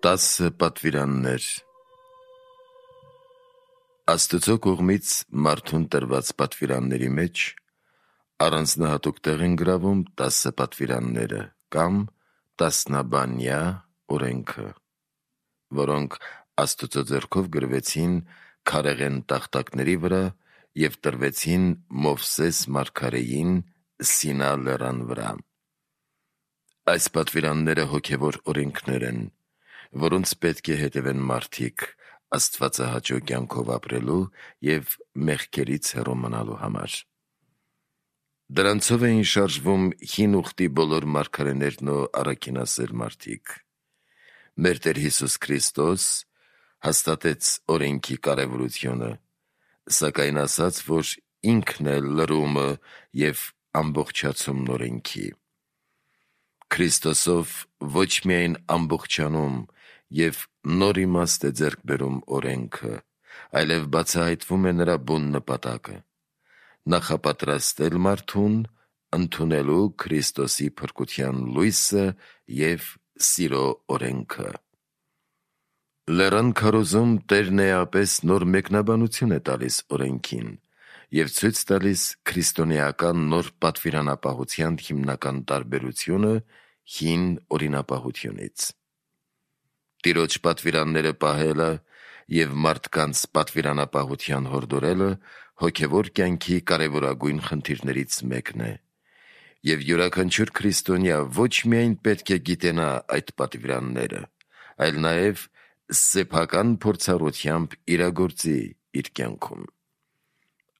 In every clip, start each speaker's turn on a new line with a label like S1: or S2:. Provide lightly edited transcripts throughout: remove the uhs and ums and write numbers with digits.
S1: 10 պատվիրաններ Աստծո կողմից մարդուն տրված պատվիրանների մեջ առանձնահատուկ տեղ են գրավում 10 պատվիրանները կամ տասնաբանյա օրենքը, որոնք Աստծո ձեռքով գրվեցին քարեղեն տախտակների վրա և տրվեցին Մովսես մարգարեին Սինա լեռան վրա։ Այս պատվիրանները հոգևոր օրենքներ են, որոնց պետք է հետևեն մարդիկ աստվածահաճո կյանքով ապրելու և մեղքերից հեռու մնալու համար։ Դրանցով էին շարժվում հին ուխտի բոլոր մարգարեներն ու առաքինասեր մարդիկ։ Մեր Տեր Հիսուս Քրիստոս հաստատեց օրենքի կարևորությունը, սակայն ասաց, որ ինքն է լրումը և ամբողջացումն օրենքի։ Քրիստոսով ոչ միայն ամբողջանում և նոր իմաստ է ձեռք բերում օրենքը, այլև բացահայտվում է նրա բուն նպատակը՝ նախապատրաստել մարդուն ընդունելու Քրիստոսի փրկության լույսը և սիրո օրենքը։ Լեռան քարոզում Տերն էապես նոր մեկնաբանություն է տալիս օրենքին և ցույց տալիս քրիստոնեական նոր պատվիրանապահության հիմնական տարբերությունը հին օրինապահությունից։ Տիրոջ պատվիրանները պահելը և մարդկանց պատվիրանապահության հորդորելը հոգևոր կյանքի կարևորագույն խնդիրներից մեկն է, և յուրաքանչյուր քրիստոնյա ոչ միայն պետք է գիտենա այդ պատվիրանները, այլ նաև սեփական փորձառությամբ իրագործի իր կյանքում։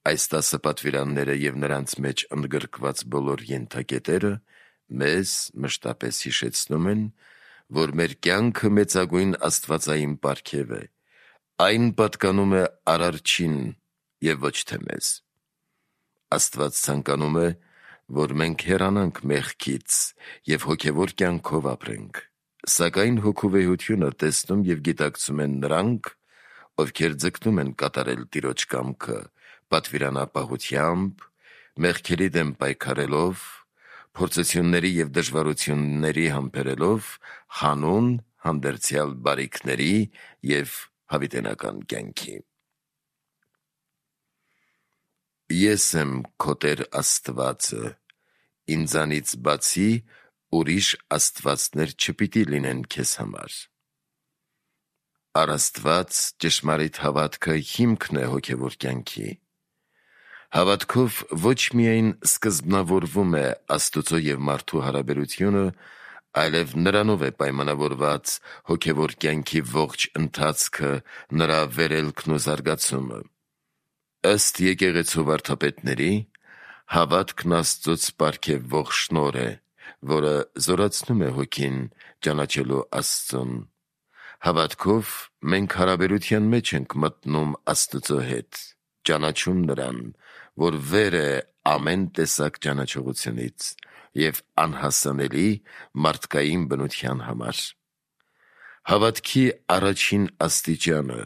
S1: Այս 10 պատվիրանները և նրանց մեջ ընդգրկված բոլոր ենթակետերը մեզ մշտապես հիշեցնում են, որ մեր կյանքը մեծագույն աստվածային պարգև է, այն պատկանում է Արարչին և ոչ թե մեզ։ Աստված ցանկանում է, որ մենք հեռանանք մեղքից և հոգևոր կյանքով ապրենք, սակայն հոգու վեհությունը տեսնում և գիտակցում են նրանք, ովքեր ձգտում են կատարել Տիրոջ կամքը պատվիրանապահությամբ, մեղքերի դեմ պայքարելով, փորձությունների և դժվարությունների համբերելով հանուն հանդերձյալ բարիքների և հավիտենական կյանքի։ Ես եմ քո Տեր Աստվածը, ինձանից բացի ուրիշ աստվածներ չպիտի լինեն քեզ համար։ Առ Աստված ճշմարիտ հավատքը հիմքն է հոգևոր կյանքի։ Հավատքով ոչ միայն սկզբնավորվում է Աստծո և մարդու հարաբերությունը, այլև նրանով է պայմանավորված հոգևոր կյանքի ողջ ընթացքը, նրա վերելքն ու զարգացումը։ Ըստ եկեղեցու վարդապետների, հավատքն Աստծուց պարգևվող շնորհ է, որը զորացնում է հոգին ճանաչելու Աստծուն։ Հավատքով մենք հարաբերության մեջ ենք մտնում Աստծո հետ, ճանաչում Նրան, որ վեր է ամեն տեսակ ճանաչողությունից և անհասանելի մարդկային բնության համար։ Հավատքի առաջին աստիճանը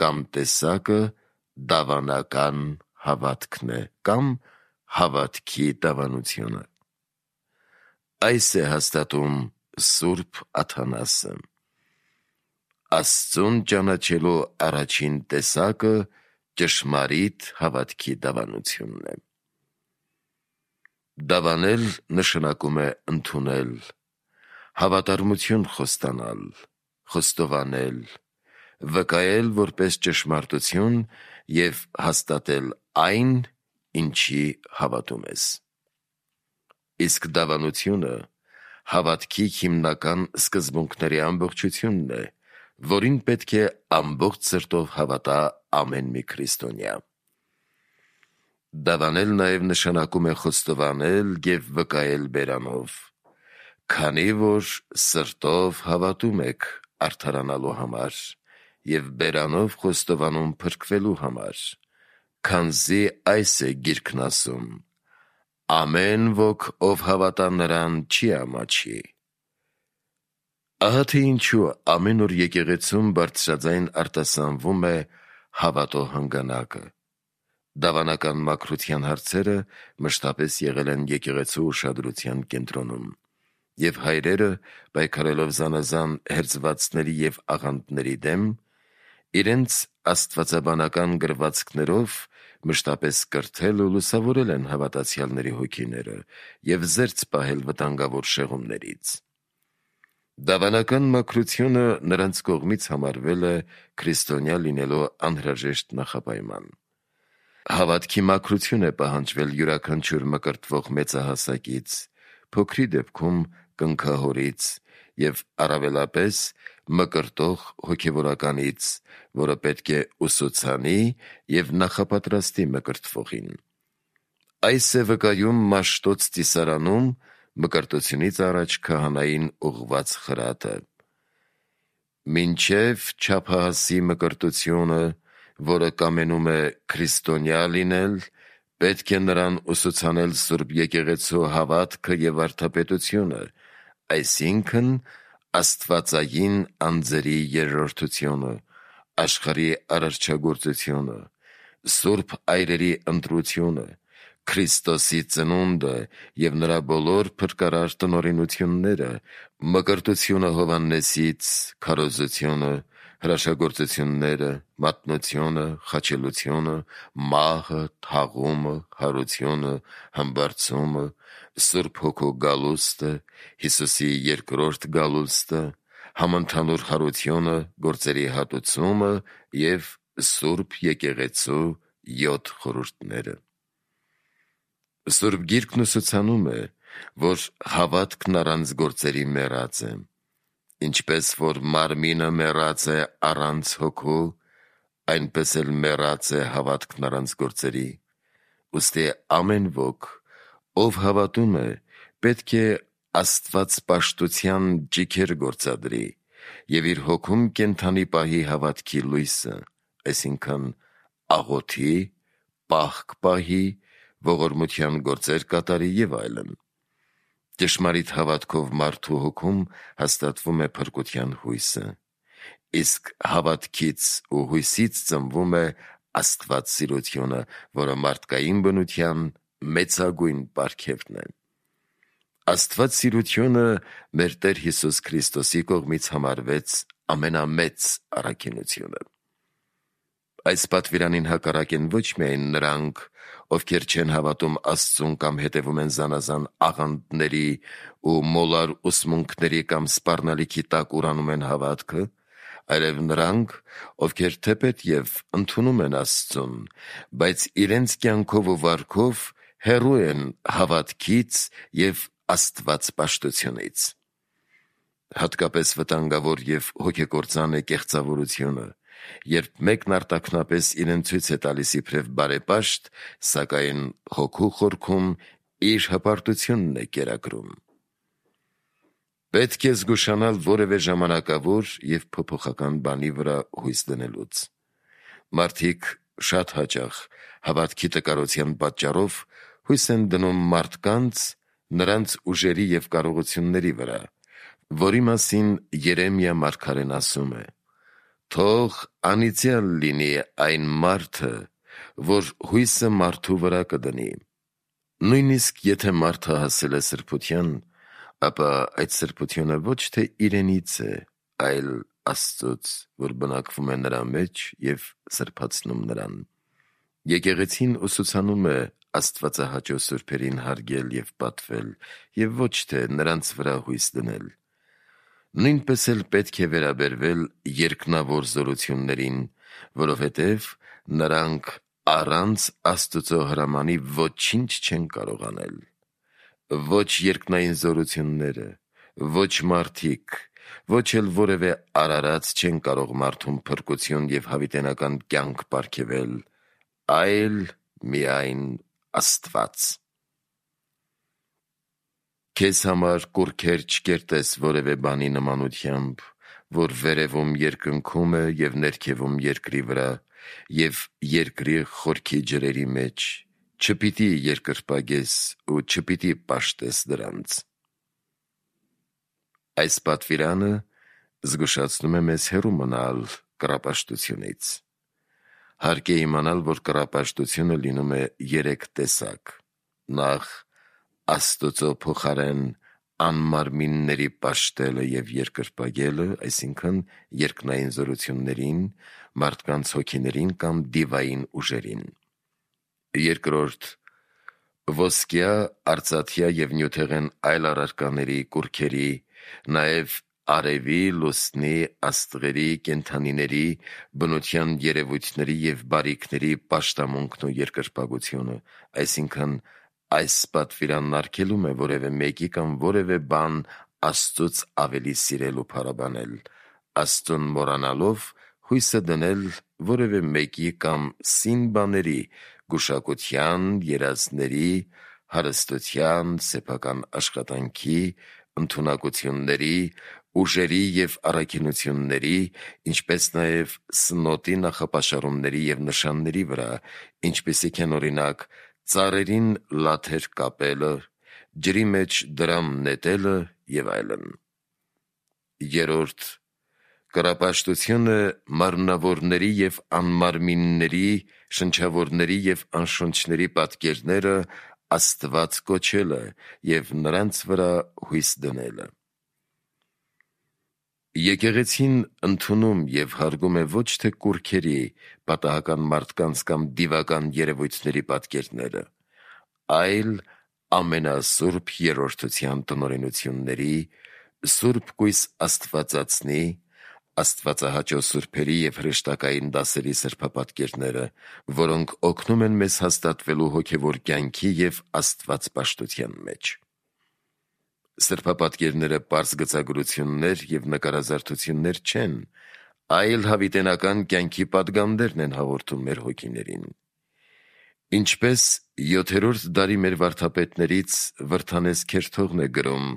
S1: կամ տեսակը դավանական հավատքն է կամ հավատքի դավանությունը։ Այս է հաստատում Սուրբ Աթանասը. Աստծուն ճանաչելու առաջին տեսակը ճշմարիտ հավատքի դավանությունն է։ Դավանել նշանակում է ընդունել, հավատարմություն խոստանալ, խոստովանել, վկայել որպես ճշմարտություն և հաստատել այն, ինչի հավատում ես։ Իսկ դավանությունը հավատքի հիմնական սկզբունքների ամբողջությունն է, որին պետք է ամբողջ սրտով հավատա ամեն մի քրիստոնյա։ Դավանել նաև նշանակում է խոստովանել և վկայել բերանով, քանի որ սրտով հավատում եք արդարանալու համար և բերանով խոստովանում փրկվելու համար, քանզի այս է Գիրքն ասում. «Ամեն ոք, ով հավատա Նրան, չի ամաչի»։ Ահա թե ինչու ամեն օր եկեղեցում բարձրաձայն արտասանվում է հավատո հանգանակը։ Դավանական մաքրության հարցերը մշտապես եղել են եկեղեցու ուշադրության կենտրոնում, և հայրերը, պայքարելով զանազան հերձվածների և աղանդների դեմ, իրենց աստվածաբանական գրվածքներով մշտապես կրթել ու լուսավորել են հավատացյալների հոգիները և զերծ պահել վտանգավոր շեղումներից։ Դավանական մաքրությունը նրանց կողմից համարվել է քրիստոնյա լինելու անհրաժեշտ նախապայման։ Հավատքի մաքրություն է պահանջվել յուրաքանչյուր մկրտվող մեծահասակից, փոքրի դեպքում կնքահորից և առավելապես մկրտող հոգևորականից, որը պետք է ուսուցանի և նախապատրաստի մկրտվողին։ Այս է վկայում Մաշտոց ծիսարանում մկրտությունից առաջ քահանային ուղղված խրատը. «Մինչև չափահասի մկրտությունը, որը կամենում է քրիստոնյա լինել, պետք է նրան ուսուցանել Սուրբ Եկեղեցու հավատքը և վարդապետությունը, այսինքն աստվածային անձերի երրորդությունը, աշխարհի արարչագործությունը, սուրբ այրերի ընտրությունը, Քրիստոսի ծնունդը և նրա բոլոր փրկարար տնօրինությունները, մկրտությունը Հովհաննեսից, քարոզությունը, հրաշագործությունները, մատնությունը, խաչելությունը, մահը, թաղումը, հարությունը, համբարձումը, Սուրբ Հոգու գալուստը, Հիսուսի երկրորդ գալուստը, համընդհանուր հարությունը, գործերի հատուցումը և Սուրբ Եկեղեցու 7 խորհուրդները»։ Սուրբ Գիրքն ուսուցանում է, որ հավատքն առանց գործերի մեռած է։ Ինչպես որ մարմինը մեռած է առանց հոգու, այնպես էլ մեռած է հավատքն առանց գործերի։ Ուստի ամեն ոք, ով հավատում է, պետք է աստվածպաշտության ճիգեր գործադրի և իր հոգում կենդանի պահի հավատքի լույսը, այսինքն աղոթի, պահք պահի, ողորմության գործեր կատարի և այլն։ Ճշմարիտ հավատքով մարդու հոգում հաստատվում է փրկության հույսը, իսկ հավատքից ու հույսից ծնվում է աստվածսիրությունը, որը մարդկային բնության մեծագույն պարգևն է։ Աստվածսիրությունը մեր Տեր Հիսուս Քրիստոսի կողմից համարվեց ամենամեծ առաքինությունը։ Այս պատվիրանին հակառակ են ոչ միայն նրանք, ովքեր չեն հավատում Աստծուն կամ հետևում են զանազան աղանդների ու մոլար ուսմունքների կամ սպառնալիքի տակ ուրանում են հավատքը, այլև նրանք, ովքեր թեպետ և ընդունում են Աստծուն, բայց իրենց կյանքով ու վարքով հեռու են հավատքից և աստվածպաշտությունից։ Հատկապես վտանգավոր և հոգեկործան է կեղծավորությունը, երբ մեկն արտաքնապես իրեն ցույց է տալիս իբրև բարեպաշտ, սակայն հոգու խորքում իր հպարտությունն է կերակրում։ Պետք է զգուշանալ որևէ ժամանակավոր և փոփոխական բանի վրա հույս դնելուց։ Մարդիկ շատ հաճախ հավատքի տկարության պատճառով հույս են դնում մարդկանց, նրանց ուժերի և կարողությունների վրա, որի մասին Երեմիա մարգարեն ասում է. «Թող անիծյալ լինի այն մարդը, որ հույսը մարդու վրա կդնի»։ Նույնիսկ եթե մարդը հասել է սրբության, ապա այդ սրբությունը ոչ թե իրենից է, այլ Աստծուց, որ բնակվում է նրա մեջ և սրբացնում նրան։ Եկեղեցին ուսուցանում է աստվածահաճո սուրբերին հարգել և պատվել և ոչ թե նրանց վրա հույս դնել։ Նույնպես էլ պետք է վերաբերվել երկնավոր զորություններին, որովհետև նրանք առանց Աստծո հրամանի ոչինչ չեն կարող անել։ Ոչ երկնային զորությունները, ոչ մարդիկ, ոչ էլ որևէ արարած չեն կարող մարդուն փրկություն և հավիտենական կյանք պարգևել, այլ միայն Աստված։ Քեզ համար կուռքեր չկերտես որևէ բանի նմանությամբ, որ վերևում երկնքում է և ներքևում երկրի վրա և երկրի խորքի ջրերի մեջ, չպիտի երկրպագես ու չպիտի պաշտես դրանց։ Այս պատվիրանը զգուշացնում է մեզ հեռու մնալ կռապաշտությունից։ Հարկ է իմանալ, որ կռապաշտությունը լինում է 3 տեսակ. նախ Աստծո փոխարեն անմարմինների պաշտելը և երկրպագելը, այսինքն երկնային զորություններին, մարդկանց հոգիներին կամ դիվային ուժերին։ Երկրորդ, ոսկյա, արծաթյա և նյութեղեն այլ առարկաների, կուռքերի, նաև արևի, լուսնի, աստղերի, կենդանիների, բնության երևույթների և բարիքների պաշտամունքն ու երկրպագությունը, այսինքն այս պատվիրանն արգելում է որևէ մեկի կամ որևէ բան Աստծուց ավելի սիրել ու փառաբանել, Աստծուն մոռանալով հույսը դնել որևէ մեկի կամ սին բաների, գուշակության, երազների, հարստության, սեփական աշխատանքի, ընդունակությունների, ուժերի և առաքինությունների, ինչպես նաև սնոտի նախապաշարումների և նշանների վրա, ինչպիսիք են օրինակ ծառերին լաթեր կապելը, ջրի մեջ դրամ նետելը և այլն։ Երրորդ, կռապաշտությունը մարմնավորների և անմարմինների, շնչավորների և անշունչների պատկերները Աստված կոչելը և նրանց վրա հույս դնելը։ Եկեղեցին ընդունում և հարգում է ոչ թե կուռքերի, պատահական մարդկանց կամ դիվական երևույթների պատկերները, այլ ամենասուրբ երրորդության տնօրինությունների, սուրբ կույս Աստվածածնի, աստվածահաճո սուրբերի և հրեշտակային դասերի սրբապատկերները, որոնք օգնում են մեզ հաստատվելու հոգևոր կյանքի և աստվածպաշտության մեջ։ Սրբապատկերները պարզ գծագրություններ և նկարազարդություններ չեն, այլ հավիտենական կյանքի պատգամներն են հաղորդում մեր հոգիներին։ Ինչպես 7-րդ դարի մեր վարդապետներից Վրդանես Քերթողն է գրում,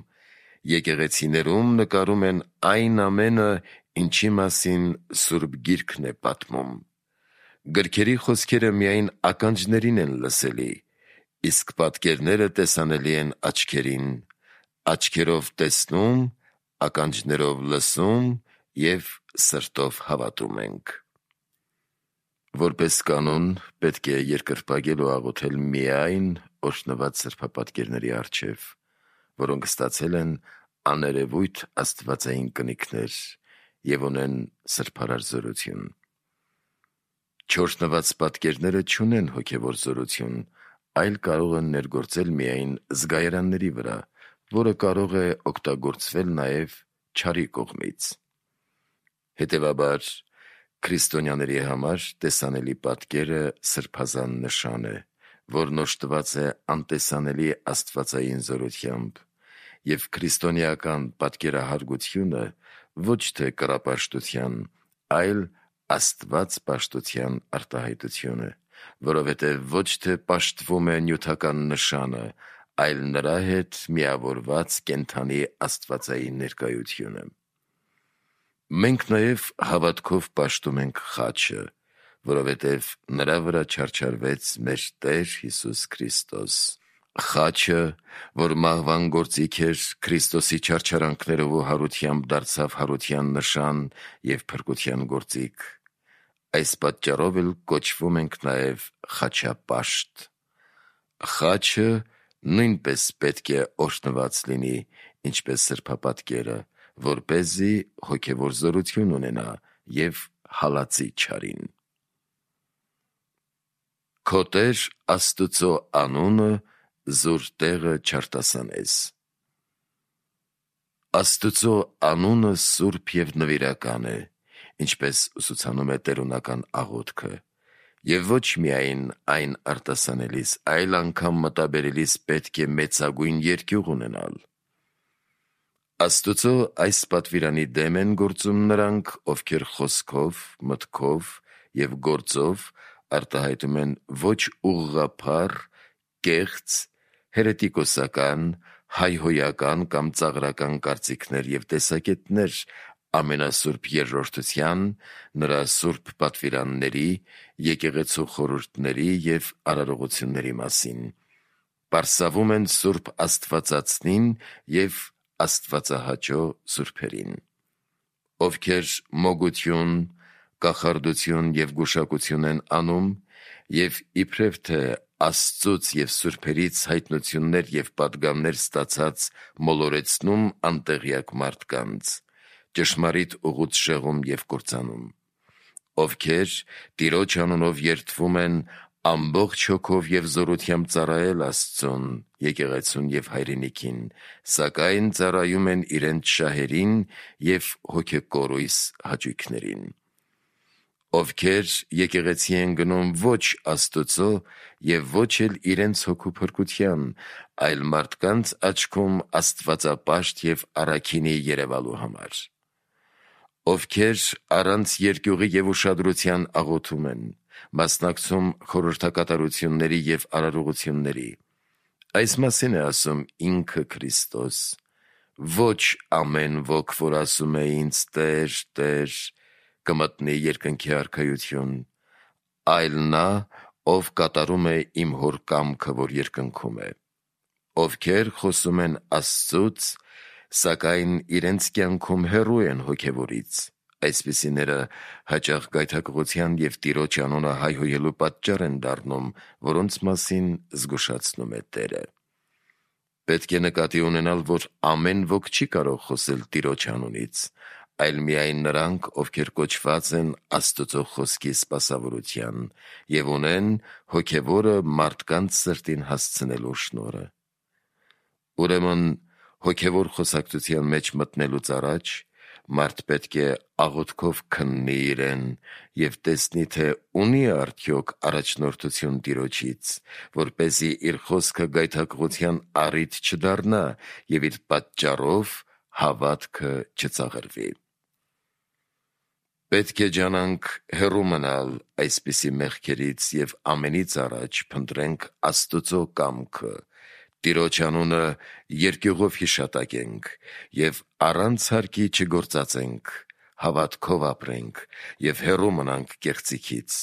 S1: եկեղեցիներում նկարում են այն ամենը, ինչի մասին Սուրբ Գիրքն է պատմում։ Գրքերի խոսքերը միայն ականջներին են լսելի, իսկ պատկերները տեսանելի են աչքերին, աչքերով տեսնում, ականջներով լսում և սրտով հավատում ենք։ Որպես կանոն, պետք է երկրպագել ու աղոթել միայն օրհնված սրբապատկերների առջև, որոնք ստացել են աներևույթ աստվածային կնիքներ և ունեն սրբարար զորություն։ Չօրհնված պատկերները չունեն հոգևոր զորություն, այլ կարող են ներգործել միայն զգայարանների վրա, որը կարող է օգտագործվել նաև չարի կողմից։ Հետևաբար, քրիստոնյաների համար տեսանելի պատկերը սրբազան նշան է, որն օժտված է անտեսանելի աստվածային զորությամբ, և քրիստոնեական պատկերահարգությունը ոչ թե կռապաշտության, այլ աստվածպաշտության արտահայտություն է, որովհետև ոչ թե պաշտվում է նյութական նշանը, այլ նրա հետ միավորված կենդանի աստվածային ներկայությունը։ Մենք նաև հավատքով պաշտում ենք խաչը, որովհետև նրա վրա չարչարվեց մեր Տեր Հիսուս Քրիստոս։ Խաչը, որ մահվան գործիք էր, Քրիստոսի չարչարանքներով ու հարությամբ դարձավ հարության նշան և փրկության գործիք։ Այս պատճառով էլ կոչվում ենք նաև խաչապաշտ։ Խաչը նույնպես պետք է օրհնված լինի, ինչպես սրբապատկերը, որպեսզի հոգևոր զորություն ունենա և հալածի չարին։ Քո Տեր Աստուծո անունը զուր տեղը չարտասանես։ Աստուծո անունը սուրբ և նվիրական է, ինչպես ուսուցանում է տերունական աղոթքը, և ոչ միայն այն արտասանելիս, այլ անգամ մտաբերելիս պետք է մեծագույն երկյուղ ունենալ։ Աստուծո այս պատվիրանի դեմ են գործում նրանք, ովքեր խոսքով, մտքով և գործով արտահայտում են ոչ ուղղափառ, կեղծ, հերետիկոսական, հայհոյական կամ ծաղրական կարծիքներ և տեսակետներ ամենասուրբ Երրորդության, նրա սուրբ պատվիրանների, եկեղեցու խորհուրդների և արարողությունների մասին, պարսավում են սուրբ Աստվածածնին և աստվածահաճո սուրբերին, ովքեր մոգություն, կախարդություն և գուշակություն են անում և իբրև թե Աստծուց և սուրբերից հայտնություններ և պատգամներ ստացած մոլորեցնում անտեղյակ մարդկանց, ճշմարիտ ուղուց շեղում և կործանում, ովքեր Տիրոջ անունով երդվում են ամբողջ հոգով և զորությամբ ծառայել Աստծուն, եկեղեցուն և հայրենիքին, սակայն ծառայում են իրենց շահերին և հոգեկորույս հաճույքներին, ովքեր եկեղեցի են գնում ոչ Աստուծո և ոչ էլ իրենց հոգու փրկության, այլ մարդկանց աչքում աստվածապաշտ և առաքինի երևալու համար, ովքեր առանց երկյուղի և ուշադրության աղոթում են, մասնակցում խորհրդակատարությունների և արարողությունների, այս մասին է ասում ինքը Քրիստոս, ոչ ամեն ոք, որ ասում է ինձ Տեր, Տեր, կմտնի երկնքի արքայություն, այլ նա, ով կատարում է իմ հոր կամքը, որ երկնքում է, ովքեր խոսում են Աստծուց, սակայն իրենց կյանքում հեռու են հոգևորից, այսպիսիները հաճախ գայթակղության և Տիրոջ անունը հայհոյելու պատճառ են դառնում, որոնց մասին զգուշացնում է Տերը։ Պետք է նկատի ունենալ, որ ամեն ոք չի կարող խոսել Տիրոջ անունից, այլ միայն նրանք, ովքեր կոչված են Աստծո խոսքի սպասավորության և ունեն հոգևորը մարդկանց սրտին հասցնելու շնորհը։ Ուրեմն հոգևոր խոսակցության մեջ մտնելուց առաջ մարդ պետք է աղոթքով քննի իրեն և տեսնի, թե ունի արդյոք առաջնորդություն Տիրոջից, որպեսզի իր խոսքը գայթակղության առիթ չդառնա և իր պատճառով հավատքը չծաղրվի։ Պետք է ջանանք հեռու մնալ այսպիսի մեղքերից և ամենից առաջ փնտրենք Աստծո կամքը, Տիրոջ անունը երկյուղով հիշատակենք և առանց հարկի չգործածենք, հավատքով ապրենք և հեռու մնանք կեղծիքից,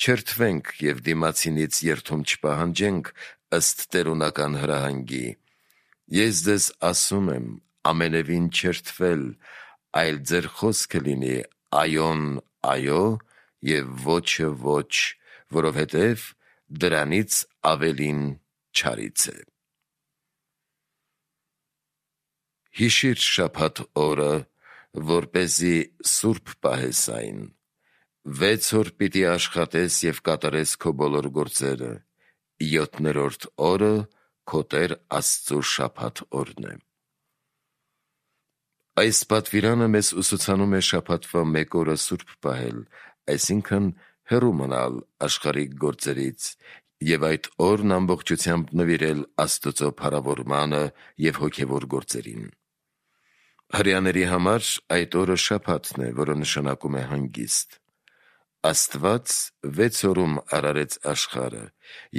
S1: չերթվենք և դիմացինից երդում չպահանջենք ըստ տերունական հրահանգի. «Ես ձեզ ասում եմ, ամենևին չերթվել, այլ ձեր խոսքը լինի այոն՝ այո և ոչը՝ ոչ, որովհետև դրանից ավելին չարից է»։ Հիշիր շաբաթ օրը, որպեսզի սուրբ պահես այն, 6 օր պիտի աշխատես և կատարես քո բոլոր գործերը, 7-րդ օրը քո Տեր Աստծու շաբաթ օրն է։ Այս պատվիրանը մեզ ուսուցանում է շաբաթվա մեկ օրը սուրբ պահել, այսինքն հեռու մնալ աշխարհիկ գործերից և այդ օրն ամբողջությամբ նվիրել Աստծո փառավորմանը և հոգևոր գործերին։ Հրեաների համար այդ օրը շաբաթն է, որը նշանակում է հանգիստ։ Աստված 6 օրում արարեց աշխարհը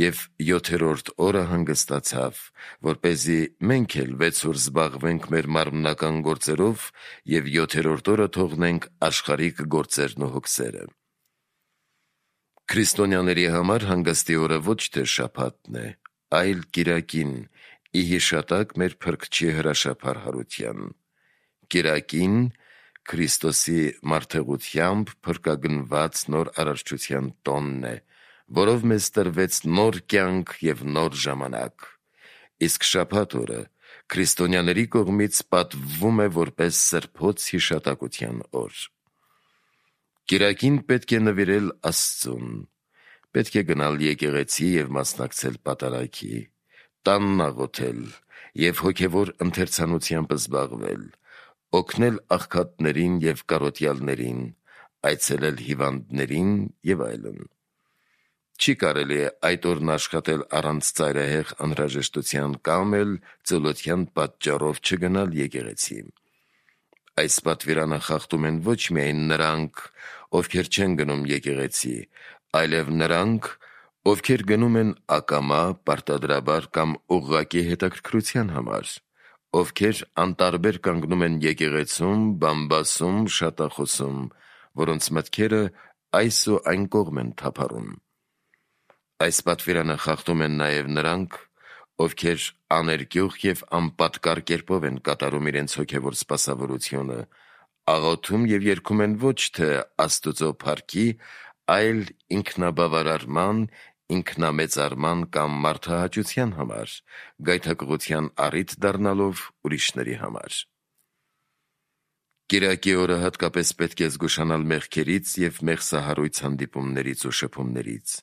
S1: և 7-րդ օրը հանգստացավ, որպեսզի մենք էլ 6 օր զբաղվենք մեր մարմնական գործերով և 7-րդ օրը թողնենք աշխարհիկ գործերն ու հոգսերը։ Քրիստոնյաների համար հանգստի օրը ոչ թե շաբաթն է, այլ կիրակին, ի հիշատակ մեր Փրկչի հրաշափառ հարության։ Կիրակին Քրիստոսի մարդեղությամբ փրկագնված նոր արարչության տոնն է, որով մեզ տրվեց նոր կյանք և նոր ժամանակ, իսկ շաբաթ օրը քրիստոնյաների կողմից պատվվում է որպես սրբոց հիշատակության օր։ Կիրակին պետք է նվիրել Աստծուն, պետք է գնալ եկեղեցի և մասնակցել պատարագի, տանն աղոթել և հոգևոր ընթերցանությամբ զբաղվել, օգնել աղքատներին և կարոտյալներին, այցելել հիվանդներին և այլն։ Չի կարելի այդ օրն աշխատել առանց ծայրահեղ անհրաժեշտության կամ էլ ծոլության պատճառով չգնալ եկեղեցի։ Այս պատվիրանը խախտում են ոչ միայն նրանք, ովքեր չեն գնում եկեղեցի, այլև նրանք, ովքեր գնում են ակամա, պարտադրաբար կամ ուղղակի հետաքրքրության համար, ովքեր անտարբեր կանգնում են եկեղեցում, բամբասում, շատախոսում, որոնց մտքերը այս ու այն կողմ են թափառում։ Այս պատվիրանը խախտում են նաև նրանք, ովքեր աներկյուղ և անպատկառ կերպով են կատարում իրենց հոգևոր սպասավորությունը, աղոթում և երգում են ոչ թե Աստծո փառքի, այլ ինքնաբավարարման, ինքնամեծարման կամ մարդահաճության համար, գայթակղության առիթ դառնալով ուրիշների համար։ Կիրակի օրը հատկապես պետք է զգուշանալ մեղքերից և մեղսահարույց հանդիպումներից ու շփումներից,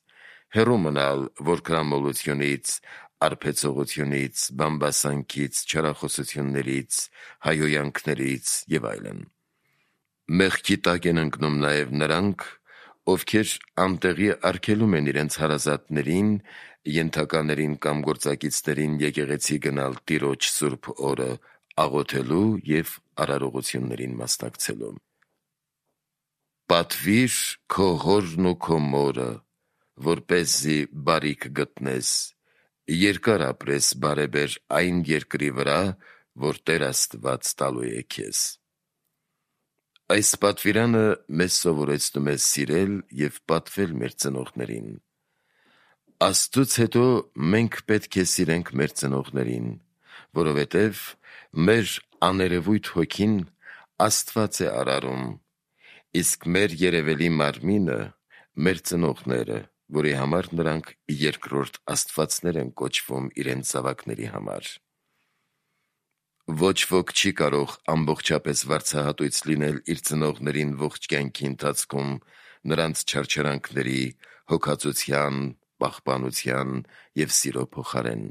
S1: հեռու մնալ որքրամոլությունից, արբեցողությունից, բամբասանքից, չարախոսություններից, հայհոյանքներից և այլն։ Մեղքի տակ են ընկնում նաև նրանք, ովքեր անտեղի արգելում են իրենց հարազատներին, ենթականերին կամ գործակիցներին եկեղեցի գնալ Տիրոջ սուրբ օրը աղոթելու և արարողություններին մասնակցելու։ Պատվիր քո հորն ու քո մորը, որպեսզի բարիք գտնես, երկար ապրես բարեբեր այն երկրի վրա, որ Տեր Աստված տալու է քեզ։ Այս պատվիրանը մեզ սովորեցնում է սիրել և պատվել մեր ծնողներին։ Աստծուց հետո մենք պետք է սիրենք մեր ծնողներին, որովհետև մեր աներևույթ հոգին Աստված է արարում, իսկ մեր երևելի մարմինը մեր ծնողները, որի համար նրանք երկրորդ աստվածներ են կոչվում իրենց զավակների համար։ Ոչ ոք չի կարող ամբողջապես վարձահատույց լինել իր ծնողներին ողջ կյանքի ընթացքում նրանց չարչարանքների, հոգածության, պահպանության և սիրո փոխարեն։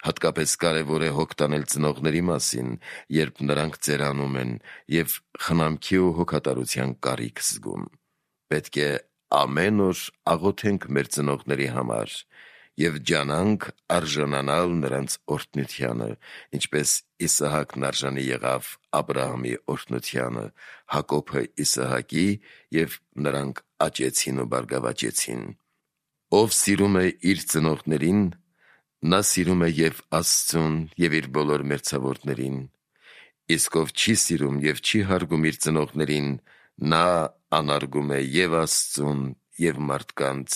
S1: Հատկապես կարևոր է հոգ տանել ծնողների մասին, երբ նրանք ծերանում են և խնամքի ու հոգատարության կարիք զգում։ Պետք է ամեն օր աղոթենք մեր ծնողների համար և ջանանք արժանանալ նրանց օրհնությանը, ինչպես Իսահակն արժանի եղավ Աբրահամի օրհնությանը, Հակոբը Իսահակի, և նրանք աճեցին ու բարգավաճեցին։ Ով սիրում է իր ծնողներին, նա սիրում է և Աստծուն և իր բոլոր մերձավորներին, իսկ ով չի սիրում և չի հարգում իր ծնողներին, նա անարգում է և Աստծուն, և մարդկանց,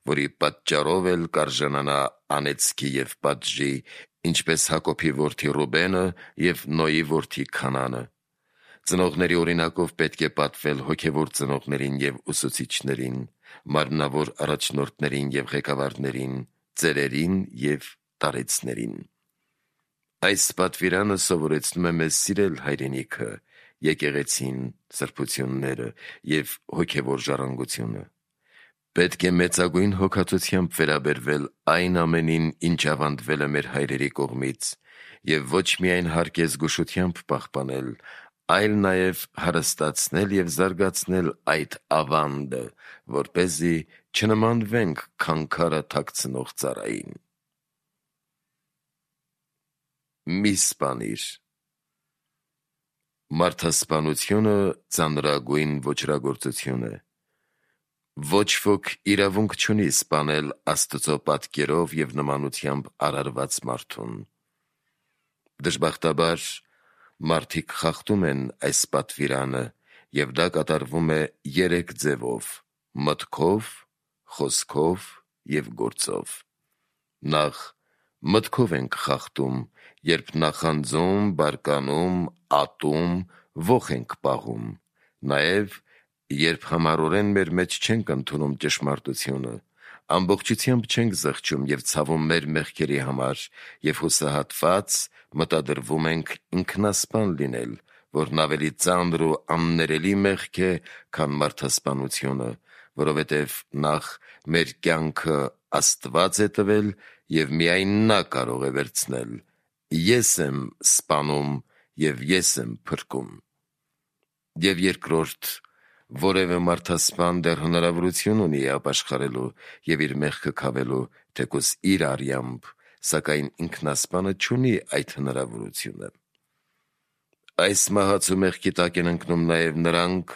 S1: որի պատճառով էլ կարժանանա անեծքի և պատժի, ինչպես Հակոբի որդի Ռուբենը և Նոյի որդի Քանանը։ Ծնողների օրինակով պետք է պատվել հոգևոր ծնողներին և ուսուցիչներին, մարմնավոր առաջնորդներին և ղեկավարներին, ծերերին և տարեցներին։ Այս պատվիրանը սովորեցնում է մեզ սիրել հայրենիքը, եկեղեցին, սրբությունները և հոգևոր ժառանգությունը։ Պետք է մեծագույն հոգածությամբ վերաբերվել այն ամենին, ինչ ավանդվել է մեր հայրերի կողմից, և ոչ միայն հարկ է զգուշությամբ պահպանել, այլ նաև հարստացնել և զարգացնել այդ ավանդը, որպեսզի չնմանվենք քանքարը թաքցնող ծառային։ Մի սպանիր։ Մարդասպանությունը ծանրագույն ոճրագործություն է։ Ոչ ոք իրավունք չունի սպանել Աստծո պատկերով և նմանությամբ արարված մարդուն։ Դժբախտաբար, մարդիկ խախտում են այս պատվիրանը, և դա կատարվում է 3 ձևով՝ մտքով, խոսքով և գործով։ Նախ մտքով ենք խախտում, երբ նախանձում, բարկանում, ատում, ոխ ենք պահում, նաև երբ համառորեն մեր մեջ չենք ընդունում ճշմարտությունը, ամբողջությամբ չենք զղջում և ցավում մեր մեղքերի համար և հուսահատված մտադրվում ենք ինքնասպան լինել, որն ավելի ծանր ու աններելի մեղք է, քան մարդասպանությունը, որովհետև նախ մեր կյանքը Աստված է տվել և միայն Նա կարող է վերցնել։ Ես եմ սպանում և ես եմ փրկում։ Եվ երկրորդ, որևէ մարդասպան դեռ հնարավորություն ունի ապաշխարելու և իր մեղքը քավելու, թեկուզ իր արյամբ, սակայն ինքնասպանը չունի այդ հնարավորությունը։ Այս մահացու մեղքի տակ են ընկնում նաև նրանք,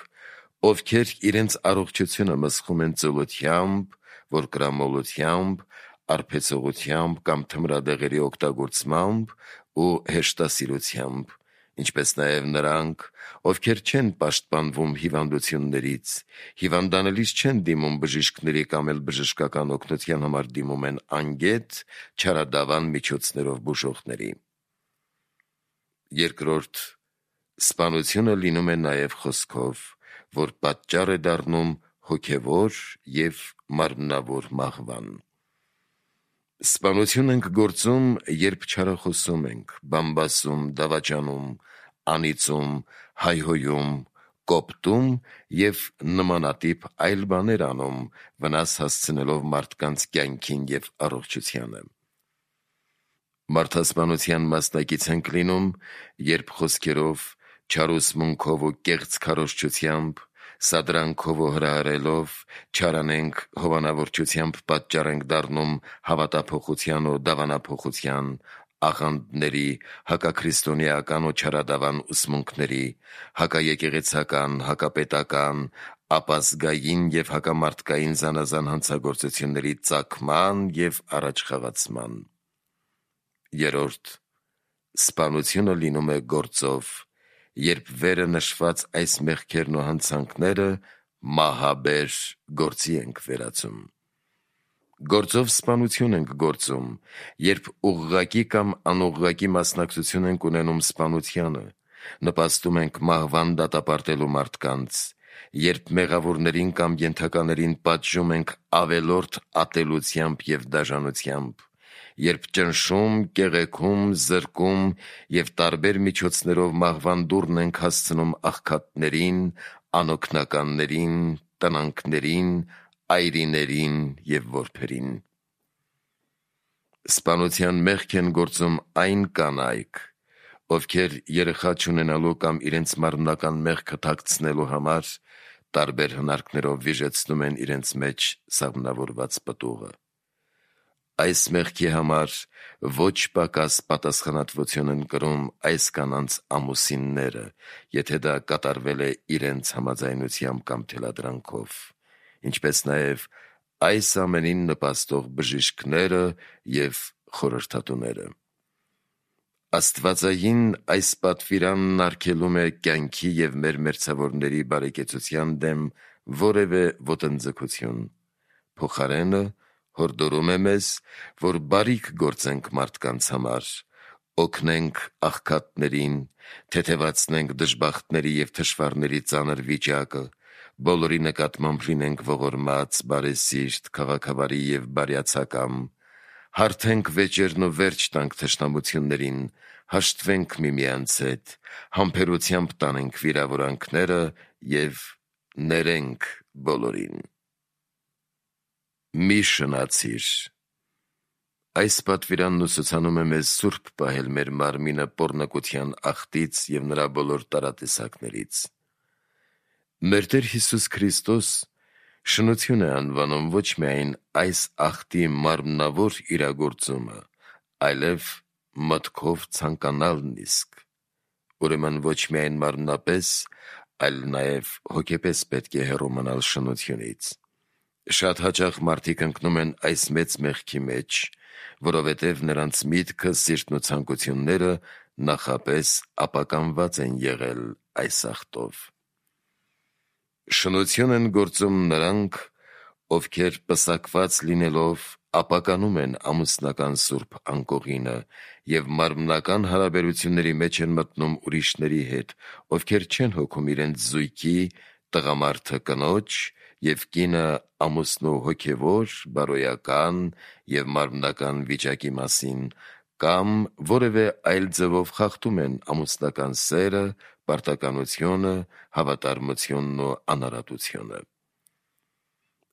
S1: ովքեր իրենց առողջությունը մսխում են ծուլությամբ, որկրամոլությամբ, արբեցողությամբ կամ թմրադեղերի օգտագործմամբ ու հեշտասիրությամբ, ինչպես նաև նրանք, ովքեր չեն պաշտպանվում հիվանդություններից, հիվանդանալիս չեն դիմում բժիշկների կամ էլ բժշկական օգնության համար դիմում են անգետ չարադավան միջոցներով բուժողների։ Երկրորդ, սպանությունը լինում է նաև խոսքով, որ պատճառ է դառնում հոգևոր և մարմնավոր մահվան։ Սպանություն ենք գործում, երբ չարախոսում ենք, բամբասում, դավաճանում, անիծում, հայհոյում, կոպտում և նմանատիպ այլ բաներ անում, վնաս հասցնելով մարդկանց կյանքին և առողջությանը։ Մարդասպանության մասնակից ենք լինում, երբ խոսքերով, չարուսմունքով ու կեղծ քարոզչությամբ, սադրանքով ու հրահրելով, չարանենք հովանավորչությամբ պատճառ ենք դառնում հավատափոխության ու դավանափոխության, աղանդների, հակաքրիստոնեական ու չարադավան ուսմունքների, հակաեկեղեցական, հակապետական, ապազգային և հակամարդկային զանազան հանցագործությունների ծագման և առաջխաղացման։ Երրորդ, սպանությունը լինում է գործով, երբ վերը նշված այս մեղքերն ու հանցանքները մահաբեր գործի ենք վերածում։ Գործով սպանություն ենք գործում, երբ ուղղակի կամ անուղղակի մասնակցություն ենք ունենում սպանությանը, նպաստում ենք մահվան դատապարտելու մարդկանց, երբ մեղավորներին կամ ենթականերին պատժում ենք ավելորդ ատելությամբ և դաժանությամբ, երբ ճնշում, կեղեքում, զրկում և տարբեր միջոցներով մահվան դուռն ենք հասցնում աղքատներին, անօգնականներին, տնանքներին, այրիներին և որբերին։ Սպանության մեղք են գործում այն կանայք, ովքեր երեխա չունենալու կամ իրենց մարմնական մեղքը թաքցնելու համար տարբեր հնարքներով վիժեցնում են իրենց մեջ սաղմնավորված պտուղը։ Այս մեղքի համար ոչ պակաս պատասխանատվություն են կրում այս կանանց ամուսինները, եթե դա կատարվել է իրենց համաձայնությամբ կամ թելադրանքով, ինչպես նաև այս ամենին նպաստող բժիշկները և խորհրդատուները։ Աստվածային այս պատվիրանն արգելում է կյանքի և մեր մերձավորների բարեկեցության դեմ որևէ ոտնձգություն, փոխարենը հորդորում է մեզ, որ բարիք գործենք մարդկանց համար, օգնենք աղքատներին, թեթևացնենք դժբախտների և թշվառների ծանր վիճակը, բոլորի նկատմամբ լինենք ողորմած, բարեսիրտ, քաղաքավարի և բարյացակամ, հարթենք վեճերն ու վերջ տանք թշնամություններին, հաշտվենք միմյանց հետ, համբերությամբ տանենք վիրավորանքները և ներենք բոլորին։ Մի շնացիր։ Այս պատվիրանն ուսուցանում է մեզ սուրբ պահել մեր մարմինը պոռնկության աղտից և նրա բոլոր տարատեսակներից։ Մեր Տեր Հիսուս Քրիստոս շնություն է անվանում ոչ միայն այս աղտի մարմնավոր իրագործումը, այլև մտքով ցանկանալն իսկ։ Ուրեմն ոչ միայն մարմնապես, այլ նաև հոգեպես պետք է հեռու մնալ շնությունից։ Շատ հաճախ մարդիկ ընկնում են այս մեծ մեղքի մեջ, որովհետև նրանց միտքը, սիրտն ու ցանկությունները նախապես ապականված են եղել այս աղտով։ Շնություն են գործում նրանք, ովքեր պսակված լինելով ապականում են ամուսնական սուրբ անկողինը և մարմնական հարաբերությունների մեջ են մտնում ուրիշների հետ, ովքեր չեն հոգում իրենց զույգի, տղամարդը կնոջ և կինը ամուսնու հոգևոր, բարոյական և մարմնական վիճակի մասին, կամ որևէ այլ ձևով խախտում են ամուսնական սերը, պարտականությունը, հավատարմությունն ու անարատությունը։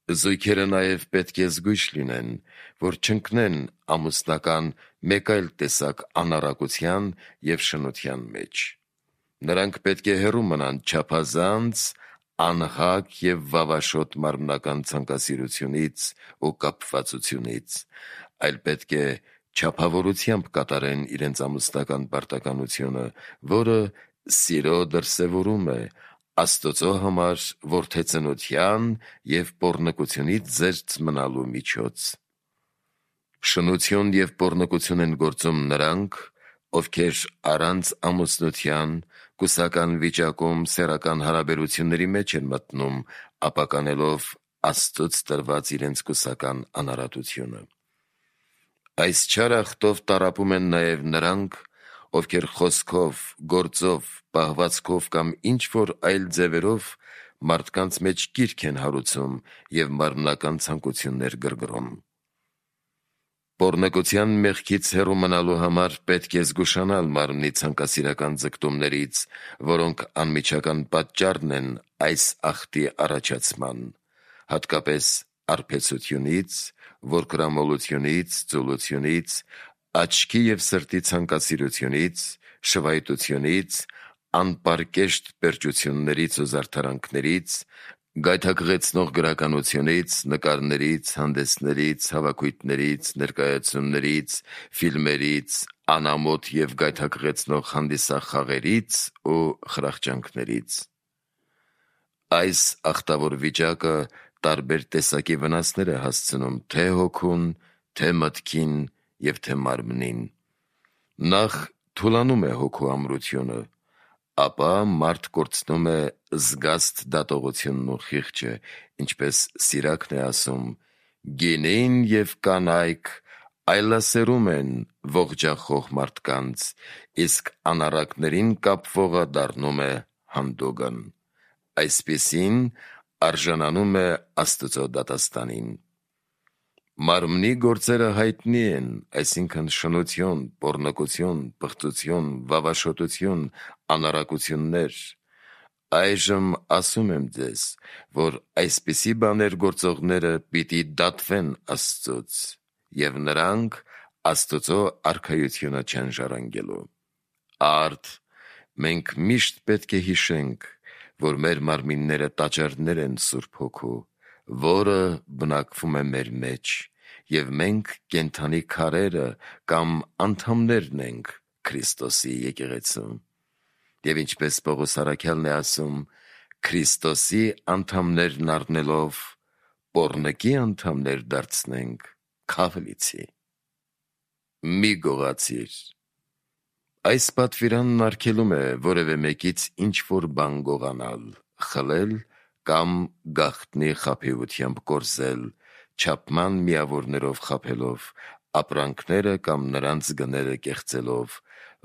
S1: Զույգերը նաև պետք է զգույշ լինեն, որ չընկնեն ամուսնական մեկ այլ տեսակ անառակության և շնության մեջ։ Նրանք պետք է հեռու մնան չափազանց, անհակ և վավաշոտ մարմնական ցանկասիրությունից ու կապվածությունից, այլ պետք է չափավորությամբ կատարեն իրենց ամուսնական պարտականությունը, որը սիրո դրսևորում է, Աստծո համար որդեծնության և պոռնկությունից զերծ մնալու միջոց։ Շնություն և պոռնկություն են գործում նրանք, ովքեր առանց ամուսնության, կուսական վիճակում սեռական հարաբերությունների մեջ են մտնում, ապականելով Աստծուց տրված իրենց կուսական անարատությունը։ Այս չար աղտով տառապում են նաև նրանք, ովքեր խոսքով, գործով, պահվածքով կամ ինչ-որ այլ ձևերով մարդկանց մեջ կիրք են հարուցում և մարմնական ցանկություններ գրգռում։ Պոռնկության մեղքից հեռու մնալու համար պետք է զգուշանալ մարմնի ցանկասիրական ձգտումներից, որոնք անմիջական պատճառն են այս ախտի առաջացման, հատկապես արբեցությունից, որկրամոլությունից, ծուլությունից, աչքի և սրտի ցանկասիրությունից, շվայտությունից, անպարկեշտ պերճություններից ու զարդարանքներից, գայթակղեցնող գրականությունից, նկարներից, հանդեսներից, հավաքույթներից, ներկայացումներից, ֆիլմերից, անամոթ և գայթակղեցնող հանդիսախաղերից ու խրախճանքներից։ Այս ախտավոր վիճակը տարբեր տեսակի վնասներ է հասցնում թե հոգուն, թե մտքին և թե մարմնին։ Նախ թուլանում է հոգու ամրությունը, ապա մարդ կորցնում է զգաստ դատողությունն ու խիղճը, ինչպես Սիրակն է ասում. «Գինին և կանայք այլասերում են ողջախոհ մարդկանց, իսկ անառակներին կապվողը դառնում է հանդուգն»։ Այսպիսին արժանանում է Աստծո դատաստանին։ Մարմնի գործերը հայտնի են, այսինքն շնություն, պոռնկություն, պղծություն, վավաշոտություն, անառակություններ։ Այժմ ասում եմ ձեզ, որ այսպիսի բաներ գործողները պիտի դատվեն Աստծուց, և նրանք Աստծո արքայությունը չեն ժառանգելու։ Արդ, մենք միշտ պետք է հիշենք, որ մեր մարմինները տաճարներ են Սուրբ Հոգու, որը բնակվում է մեր մեջ, և մենք կենդանի քարերը կամ անդամներն ենք Քրիստոսի եկեղեցու։ Եվ ինչպես Պողոս առաքյալն է ասում. «Քրիստոսի անդամներն առնելով, պոռնկի անդամներ դարձնենք քավլիցի»։ Մի գողացիր։ Այս պատվիրանն արգելում է որևէ մեկից ինչ-որ բան գողանալ, խլել կամ գաղտնի խաբեությամբ կորզել, չափման միավորներով խաբելով, ապրանքները կամ նրանց գները կեղծելով,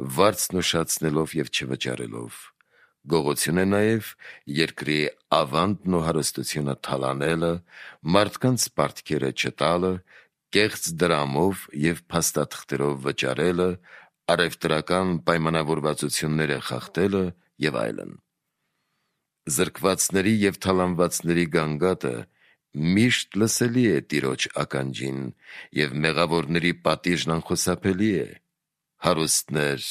S1: վարձն ուշացնելով և չվճարելով։ Գողություն է նաև երկրի ավանդն ու հարստությունը թալանելը, մարդկանց պարտքերը չտալը, կեղծ դրամով և փաստաթղթերով վճարելը, առևտրական պայմանավորվածությունները խախտելը և այլն։ Զրկվածների և թալանվածների գանգատը միշտ լսելի է Տիրոջ ականջին, և մեղավորների պատիժն անխուսափելի է։ Հարուստներ,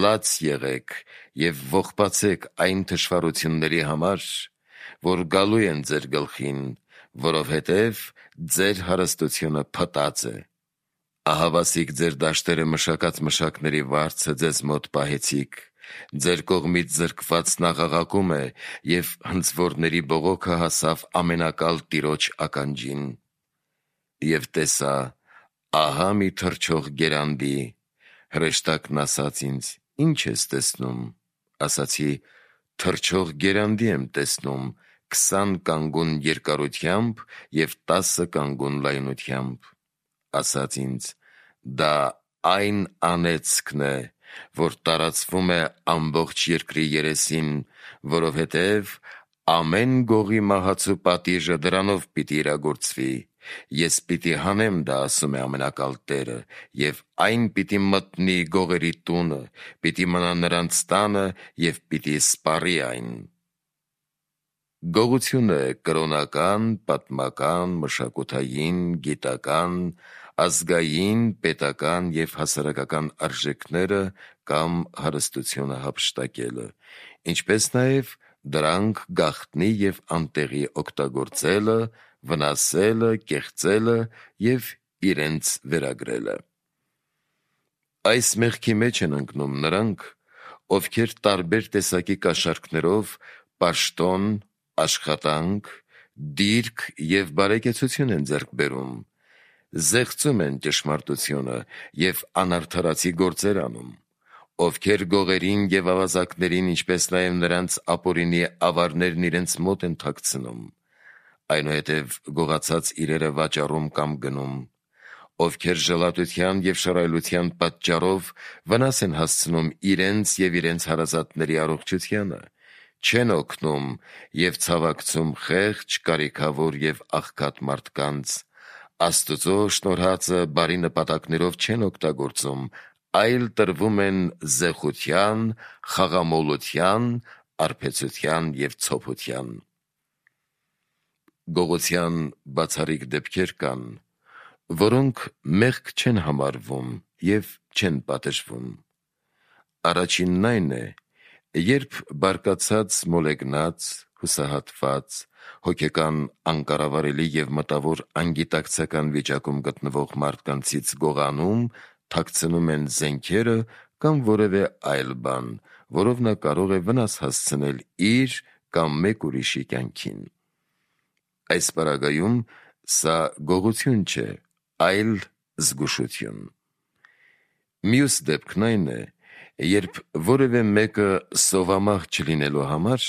S1: լաց եղեք և ողբացեք այն թշվառությունների համար, որ գալու են ձեր գլխին, որովհետև ձեր հարստությունը փտած է։ Ահավասիկ ձեր դաշտերը մշակած մշակների վարձը ձեզ մոտ պահեցիք, ձեր կողմից զրկվածն աղաղակում է, և հնձվորների բողոքը հասավ ամենակալ Տիրոջ ականջին։ Եվ տեսա, ահա մի թռչող գերանդի, հրեշտակն ասաց ինձ. «Ի՞նչ ես տեսնում»։ Ասացի. «Թռչող գերանդի եմ տեսնում, 20 կանգուն երկարությամբ և 10 կանգուն լայնությամբ»։ Ասաց ինձ. «Դա այն անեծքն է, որ տարածվում է ամբողջ երկրի երեսին, որովհետև ամեն գողի մահացու պատիժը դրանով պիտի իրագործվի։ Ես պիտի հանեմ դա, ասում է Ամենակալ Տերը, և այն պիտի մտնի գողերի տունը, պիտի մնա նրանց տանը և պիտի սպառի այն»։ Գողությունը կրոնական, պատմական, մշակութային, գիտական, ազգային, պետական և հասարակական արժեքները կամ հարստությունը հափշտակելը, ինչպես նաև դրանք գաղտնի և անտեղի օգտագործելը, վնասելը, կեղծելը և իրենց վերագրելը։ Այս մեղքի մեջ են ընկնում նրանք, ովքեր տարբեր տեսակի կաշառքներով պաշտոն, աշխատանք, դիրք և բարեկեցություն են ձեռք բերում, զեղծում են ճշմարտությունը և անարդարացի գործեր անում, ովքեր գողերին և ավազակներին, ինչպես նաև նրանց ապօրինի ավարներն իրենց մոտ են թաքցնում, այնուհետև գողացած իրերը վաճառում կամ գնում, ովքեր ժլատության և շռայլության պատճառով վնաս են հասցնում իրենց և իրենց հարազատների առողջությանը, չեն օգնում և ցավակցում խեղճ, կարիքավոր և աղքատ մարդկանց, Աստծո շնորհածը բարի նպատակներով չեն օգտագործում, այլ տրվում են զեղության, խաղամոլության, արբեցության և ցոփության։ Գողության բացառիկ դեպքեր կան, որոնք մեղք չեն համարվում և չեն պատժվում։ Առաջինն այն է, երբ բարկացած, մոլեգնած, հուսահատված, հոգեկան անկառավարելի և մտավոր անգիտակցական վիճակում գտնվող մարդկանցից գողանում, թաքցնում են զենքերը կամ որևէ այլ բան, որով նա կարող է վնաս հասցնել իր կամ մեկ ուրիշի կյանքին։ Այս պարագայում սա գողություն չէ, այլ զգուշություն։ Մյուս դեպքն այն է, երբ որևէ մեկը սովամահ չլինելու համար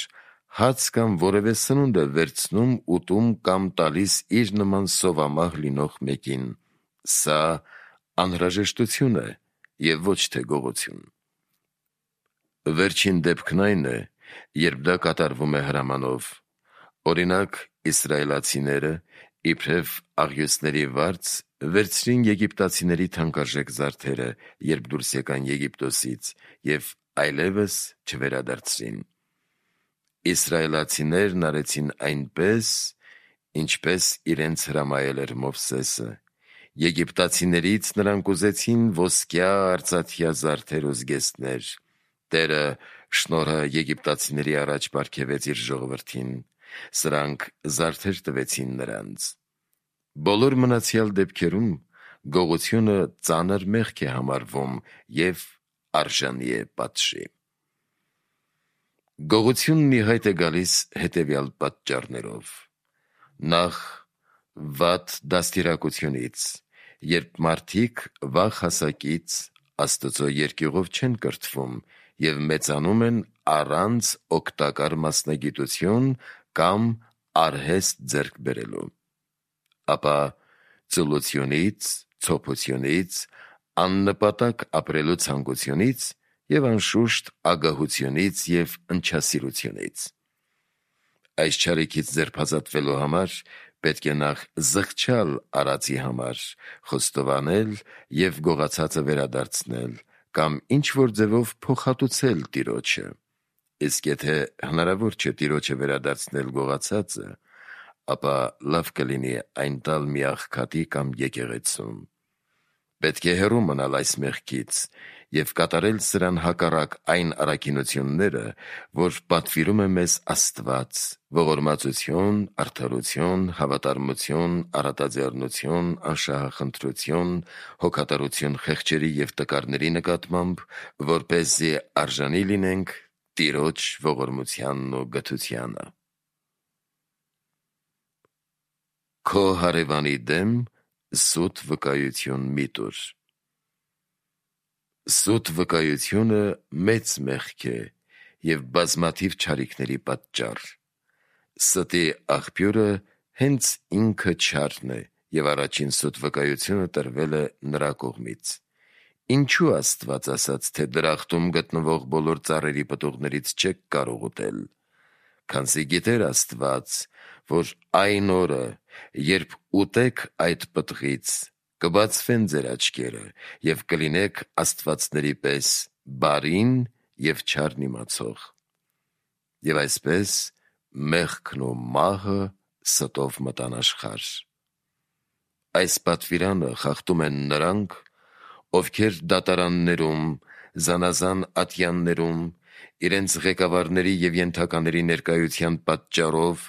S1: հաց կամ որևէ սնունդ է վերցնում, ուտում կամ տալիս իր նման սովամահ լինող մեկին։ Սա անհրաժեշտություն է և ոչ թե գողություն։ Վերջին դեպքն այն է, երբ դա կատարվում է հրամանով։ Օրինակ, իսրայելացիները, իբրև աղյուսների վարձ, վերցրին եգիպտացիների թանկարժեք զարդերը, երբ դուրս եկան Եգիպտոսից, և այլևս չվերադարձրին։ Իսրայելացիներն արեցին այնպես, ինչպես իրենց հրամայել էր Մովսեսը։ Եգիպտացիներից նրանք ուզեցին ոսկյա, արծաթյա զարդեր ու զգեստներ։ Տերը շնորհը եգիպտացիների առաջ պարգևեց իր ժողովրդին։ Սրանք զարդեր տվեցին նրանց։ Բոլոր մնացյալ դեպքերում գողությունը ծանր մեղք է համարվում և արժանի է պատժի։ Գողությունն ի հայտ է գալիս հետևյալ պատճառներով. Նախ, վատ դաստիարակությունից, երբ մարդիկ վաղ հասակից Աստծո երկյուղով չեն կրթվում և մեծանում են առանց օգտակար մասնագիտություն կամ արհեստ ձեռք բերելու։ Ապա ծուլությունից, ցոփությունից, աննպատակ ապրելու ցանկությունից և անշուշտ ագահությունից և ընչասիրությունից։ Այս չարիքից ձերբազատվելու համար պետք է նախ զղջալ արածի համար, խոստովանել և գողացածը վերադարձնել կամ ինչ-որ ձևով փոխհատուցել Տիրոջը։ Իսկ եթե հնարավոր չէ Տիրոջը վերադարձնել գողացածը, ապա լավ կլինի այն տալ մի աղքատի կամ եկեղեցուն։ Պետք է հեռու մնալ այս մեղքից և կատարել սրան հակառակ այն առաքինությունները, որ պատվիրում է մեզ Աստված՝ ողորմածություն, արդարություն, հավատարմություն, առատաձեռնություն, անշահախնդրություն, հոգատարություն խեղճերի և տկարների նկատմամբ, որպեսզի արժանի լինենք Տիրոջ ողորմությանն ու գթությանը։ Քո հարևանի դեմ սուտ վկայություն մի տուր։ Սուտ վկայությունը մեծ մեղք է և բազմաթիվ չարիքների պատճառ։ Ստի աղբյուրը հենց ինքը չարն է, և առաջին սուտ վկայությունը տրվել է նրա կողմից։ Ինչու Աստված ասաց, թե դրախտում գտնվող բոլոր ծառերի պտուղներից չեք կարող ուտել։ Քանզի գիտեր Աստված, որ այն օրը, երբ ուտեք այդ պտղից, կբացվեն ձեր աչքերը և կլինեք աստվածների պես բարին և չարն իմացող։ Եվ այսպես մեղքն ու մահը ստով մտան աշխարհ։ Այս պատվիրանը խախտում են նրանք, ովքեր դատարաններում, զանազան ատյաններում, իրենց ղեկավարների և ենթակաների ներկայության պատճառով,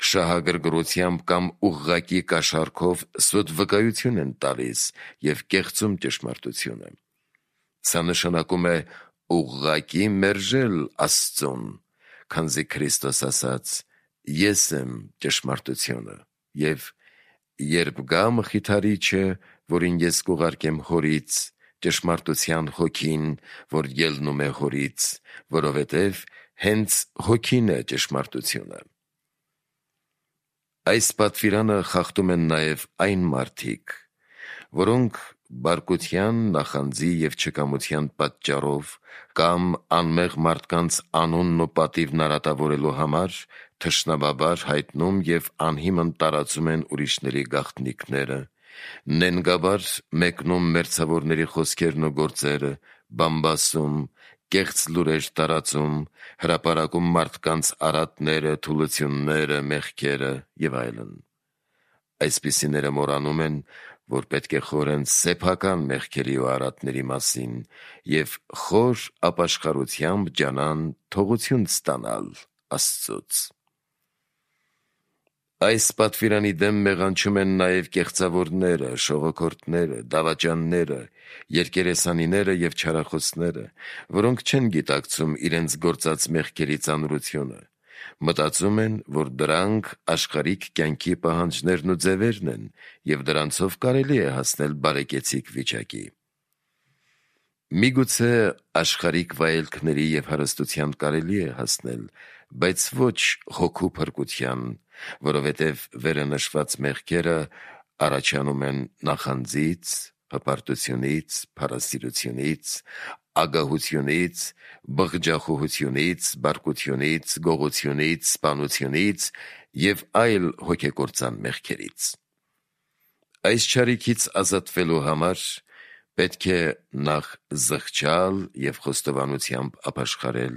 S1: շահագրգռությամբ կամ ուղղակի կաշառքով սուտ վկայություն են տալիս և կեղծում ճշմարտությունը։ Սա նշանակում է ուղղակի մերժել Աստծուն, քանզի Քրիստոս ասաց. «Ես եմ ճշմարտությունը, և երբ գա Մխիթարիչը, որին ես կուղարկեմ Հորից, ճշմարտության Հոգին, որ ելնում է Հորից, որովհետև հենց Հոգին է ճշմարտությունը»։ Այս պատվիրանը խախտում են նաև այն մարդիկ, որոնք բարկության, նախանձի և չկամության պատճառով կամ անմեղ մարդկանց անունն ու պատիվն արատավորելու համար թշնամաբար հայտնում և անհիմն տարածում են ուրիշների գաղտնիքները, նենգաբար մեկնում մերձավորների խոսքերն ու գործերը, բամբասում, կեղծ լուրեր տարածում, հրապարակում մարդկանց արատները, թուլությունները, մեղքերը և այլն։ Այսպիսիները մոռանում են, որ պետք է խորեն սեփական մեղքերի ու արատների մասին և խոր ապաշխարությամբ ջանան թողություն ստանալ Աստծուց։ Այս պատվիրանի դեմ մեղանչում են նաև կեղծավորները, շողոքորթները, դավաճանները, երկերեսանիները և չարախոսները, որոնք չեն գիտակցում իրենց գործած մեղքերի ծանրությունը, մտածում են, որ դրանք աշխարհիկ կյանքի պահանջներն ու ձևերն են և դրանցով կարելի է հասնել բարեկեցիկ վիճակի։ Միգուցե աշխարհիկ վայելքների և հարստության կարելի է հասնել, բայց ոչ հոգու փրկության, որովհետև վերը նշված մեղքերը առաջանում են նախանձից, հպարտությունից, փառասիրությունից, ագահությունից, բղջախոհությունից, բարկությունից, գողությունից, սպանությունից և այլ հոգեկործան մեղքերից։ Այս չարիքից ազատվելու համար պետք է նախ զղջալ և խոստովանությամբ ապաշխարել,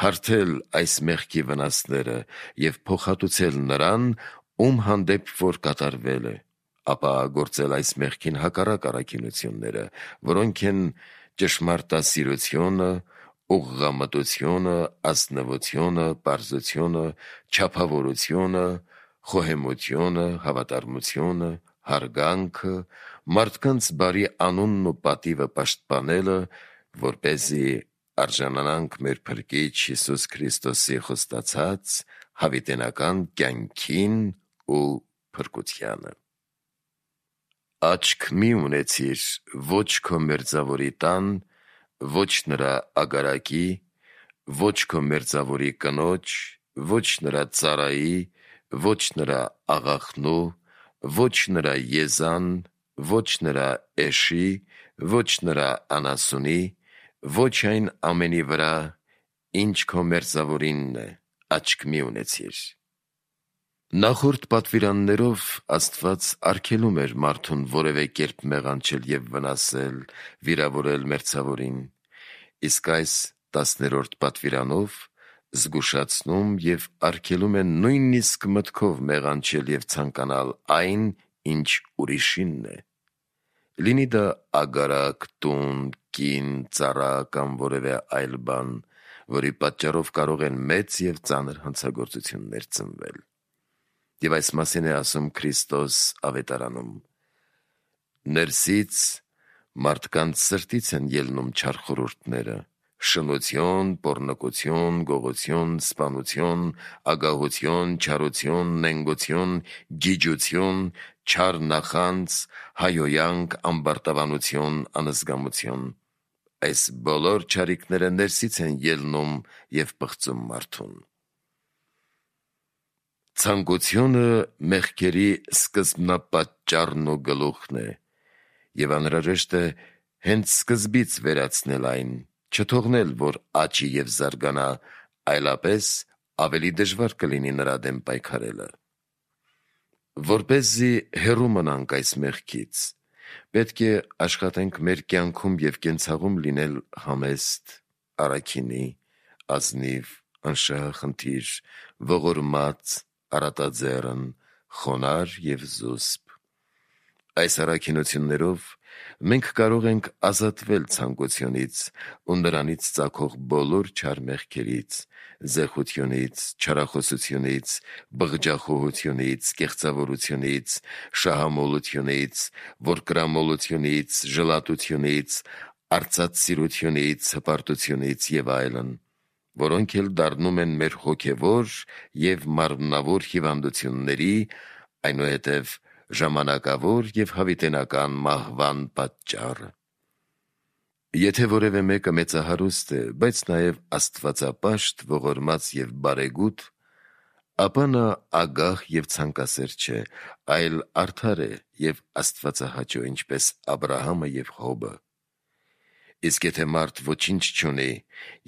S1: հարթել այս մեղքի վնասները և փոխհատուցել նրան, ում հանդեպ որ կատարվել է, ապա գործել այս մեղքին հակառակ առաքինությունները, որոնք են ճշմարտասիրությունը, ուղղամտությունը, ազնվությունը, պարզությունը, չափավորությունը, խոհեմությունը, հավատարմությունը, հարգանքը, մարդկանց բարի անունն ու պատիվը պաշտպանելը, որպեսզի արժանանանք մեր Փրկիչ Հիսուս Քրիստոսի խոստացած հավիտենական կյանքին ու փրկությանը։ Աչք մի ունեցիր ոչ քո մերձավորի տան, ոչ նրա ագարակի, ոչ քո մերձավորի կնոջ, ոչ նրա ծառայի, ոչ նրա աղախնու, ոչ նրա եզան, ոչ նրա էշի, ոչ նրա անասունի, ոչ այն ամենի վրա, ինչ քո մերձավորինն է, աչք մի ունեցիր։ Նախորդ պատվիրաններով Աստված արգելում էր մարդուն որևէ կերպ մեղանչել և վնասել, վիրավորել մերձավորին, իսկ այս 10-րդ պատվիրանով զգուշացնում և արգելում է նույնիսկ մտքով մեղանչել և ցանկանալ այն, ինչ ուրիշինն է, լինի դա ագարակ, տուն, կին, ծառա կամ որևէ այլ բան, որի պատճառով կարող են մեծ և ծանր հանցագործություններ ծնվել։ Եվ այս մասին է ասում Քրիստոս ավետարանում. «Ներսից մարդկանց սրտից են ելնում չար խորհուրդները, շնություն, պոռնկություն, գողություն, սպանություն, ագահություն, չարություն, նենգություն, գիջություն, չար նախանձ, հայհոյանք, ամբարտավանություն, անզգամություն։ Այս բոլոր չարիքները ներսից են ելնում և պղծում մարդուն»։ Ցանկությունը մեղքերի սկզբնապատճառն ու գլուխն է, և անհրաժեշտ է հենց սկզբից վերացնել այն, չթողնել, որ աճի և զարգանա, այլապես ավելի դժվար կլինի նրա դեմ պայքարելը։ Որպեսզի հեռու մնանք այս մեղքից, պետք է աշխատենք մեր կյանքում և կենցաղում լինել համեստ, առաքինի, ազնիվ, անշահախնդիր, ողորմած, առատաձեռն, խոնարհ և զուսպ։ Այս առաքինություններով մենք կարող ենք ազատվել ցանկությունից ու նրանից ծագող բոլոր չար մեղքերից, զեղությունից, չարախոսությունից, բղջախոհությունից, կեղծավորությունից, շահամոլությունից, որկրամոլությունից, ժլատությունից, արծաթսիրությունից, հպարտությունից և այլն, որոնք էլ դառնում են մեր հոգևոր և մարմնավոր հիվանդությունների, այնուհետև ժամանակավոր և հավիտենական մահվան պատճառը։ Եթե որևէ մեկը մեծահարուստ է, բայց նաև աստվածապաշտ, ողորմած և բարեգութ, Ապա նա ագահ և ցանկասեր չէ, այլ արդար է և աստվածահաճո, ինչպես Աբրահամը և Հոբը։ Իսկ եթե մարդ ոչինչ չունի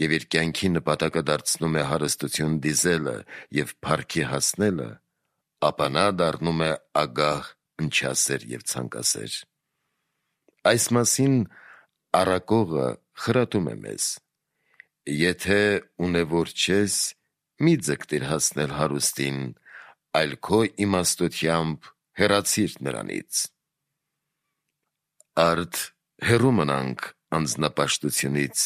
S1: և իր կյանքի նպատակը դարձնում է հարստություն դիզելը և փառքի հասնելը, ապա նա դառնում է ագահ, ընչասեր և ցանկասեր։ Այս մասին առակողը խրատում է մեզ. «Եթե ունևոր չես, մի ձգտիր հասնել հարուստին, այլ քո իմաստությամբ հեռացիր նրանից»։ Արդ հեռու մնանք անձնապաշտությունից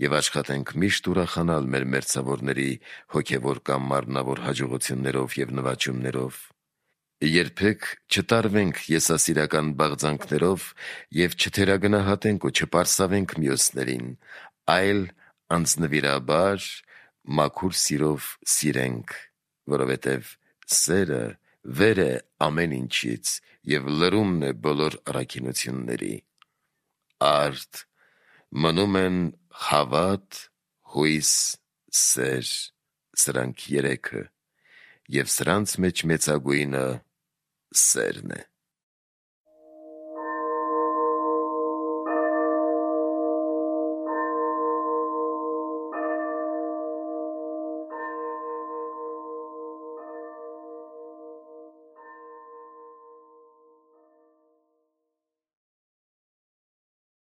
S1: և աշխատենք միշտ ուրախանալ մեր մերձավորների հոգևոր կամ մարմնավոր հաջողություններով և նվաճումներով։ Երբեք չտարվենք եսասիրական բաղձանքներով և չթերագնահատենք ու չպարսավենք մյուսներին, այլ անձնվիրաբար մաքուր սիրով սիրենք, որովհետև սերը վեր է ամեն ինչից և լրումն է բոլոր առաքինությունների։ Արդ մնում են հավատ, հույս, սեր, սրանք երեքը, և սրանց մեջ մեծագույնը սերն է։